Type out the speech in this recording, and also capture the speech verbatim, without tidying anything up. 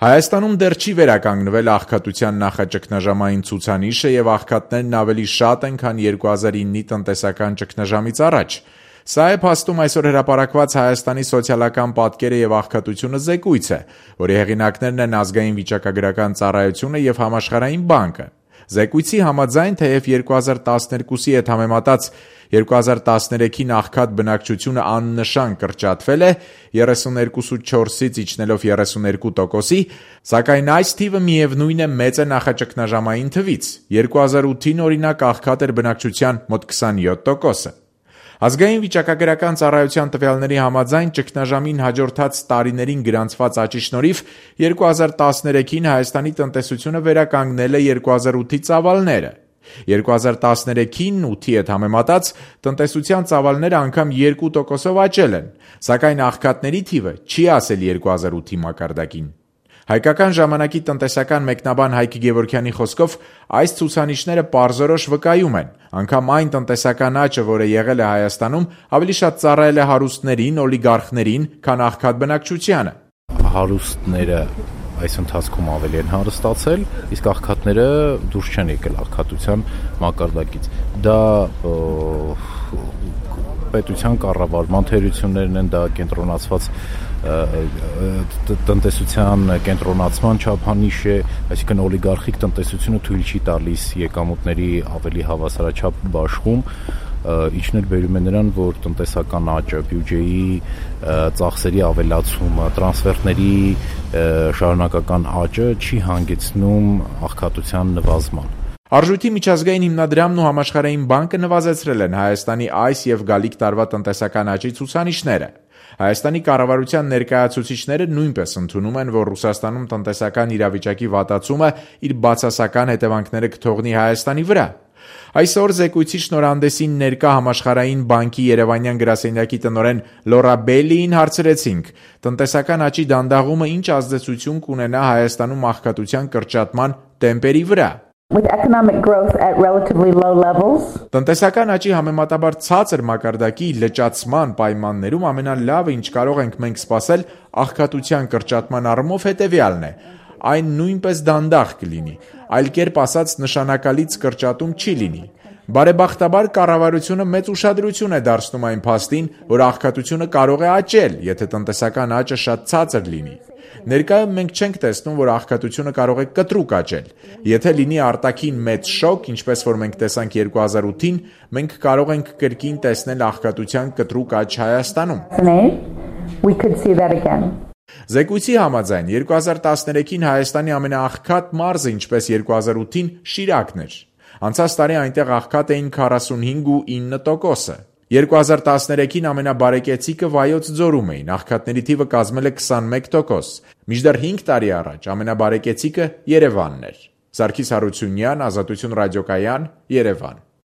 Հայաստանում դեռ չի վերականգնվել աղքատության նախաճգնաժամային ցուցանիշը եւ աղքատներն ավելի շատ են, քան երկու հազար իննի տնտեսական ճգնաժամից առաջ։ Սա է փաստում այսօր հրապարակված Հայաստանի սոցիալական պատկերը եւ աղքատությունը զեկույց է, որի հեղինակներն են Ազգային վիճակագրական ծառայությունը եւ Համաշխարհային բանկը։ Զեկույցի համաձայն, թեև երկու հազար տասներկուսի հետ համեմատած երկու հազար տասներեքին աղքատ բնակչությունը աննշան կրճատվել է երեսուներկու փոխանակ չորսից իջնելով երեսուներկու տոկոսի, սակայն այս թիվը միևնույն է մեծ է նախաճգնաժամային թվից։ երկու հազար ութին օրինակ աղքատ էր բնակչության մոտ քսանյոթ տոկոսը։ Ազգային վիճակագրական ծառայության տվյալների համաձայն ճգնաժամին հաջորդած տարիներին գրանցված աճի շնորհիվ երկու հազար տասներեքին Հայաստանի տնտեսությունը վերականգնել է երկու հազար ութի ծավալները։ երկու հազար տասներեքին ութի հետ համեմատած տնտեսության ծավալները անգամ երկու տոկոսով աճել են, սակայն աղքատների թիվը չի հասել երկու հազար ութի մակարդակին։ Հայկական ժամանակի տնտեսական մեկնաբան Հայկ Գևորգյանի խոսքով այս ցուցանիշները պարզորոշ վկայում են, անգամ այն տնտեսական աճը, որը եղել է Հայաստանում, ավելի շատ ծառայել է հարուստներին, օլիգարխներին, քան աղքատ բնակչությանը։ Հարուստները այս ընթացքում ավելի են հարստացել, իսկ աղքատները դուրս չեն եկել աղքատության մակարդակից։ Դա պետության կառավարման թերություններն են, դա կենտրոնացված տնտեսության կենտրոնացման չափանիշ է, այսինքն օլիգարխիկ տնտեսությունը թույլ չի տալիս եկամուտների ավելի հավասարաչափ բաշխում, ինչն էլ բերում է նրան, որ տնտեսական աճը, բյուջեի ծախսերի ավելացումը, տրանսֆերտների շարունակական աճը չի հանգեցնում աղքատության նվազման։ Արժույթի միջազգային հիմնադրամն ու Համաշխարհային բանկը նվազեցրել են Հայաստանի այս եւ գալիք տարվա տնտեսական աճի ցուցանիշները։ Հայաստանի կառավարության ներկայացուցիչները նույնպես ընդունում են, որ Ռուսաստանում տնտեսական իրավիճակի վատացումը իր բացասական հետևանքները կթողնի Հայաստանի վրա։ Այսօր զեկույցի շնորհանդեսին ներկա Համաշխարհային բանկի Երևանյան գրասենյակի տնօրեն Լորա Բելլիին հարցրեցինք. տնտեսական աճի դանդաղումը ինչ ազդեցություն կունենա Հայաստանում աղքատության կրճատման տեմպերի վրա։ With economic growth at relatively low levels. Տնտեսական աճի համեմատաբար ցածր մակարդակի լճացման պայմաններում ամենալավը, ինչ կարող ենք մենք սպասել աղքատության կրճատման առումով, հետևյալն է. այն նույնպես դանդաղ կլինի, այլ կերպ ասած նշանակալից կրճատում չի լինի։ Բարեբախտաբար կառավարությունը մեծ ուշադրություն է դարձնում այն փաստին, որ աղքատությունը կարող է աճել, եթե տնտեսական աճը շատ ցածր լինի։ Ներկայում մենք չենք տեսնում, որ աղքատությունը կարող է կտրուկ աճել։ Եթե լինի արտաքին մեծ շոկ, ինչպես որ մենք տեսանք երկու հազար ութին, մենք կարող ենք կրկին տեսնել աղքատության կտրուկ աճ Հայաստանում։ We could see that again. Զեկույցի համաձայն երկու հազար տասներեքին Հայաստանի ամենաաղքատ մարզը, ինչպես երկու հազար ութին, Շիրակն էր։ Անցած տարի այնտեղ աղքատ էին քառասունհինգ ու ինը տոկոսը։ երկու հազար տասներեքին ամենաբարեկեցիկը Վայոց ձորում էին, աղքատների թիվը կազմել է քսանմեկ տոկոս, մինչդեռ հինգ տարի առաջ ամենաբարեկեցիկը Երևանն էր։ Սարգիս Հարությունյան, Ազատություն ռադիոկայան, Երևան։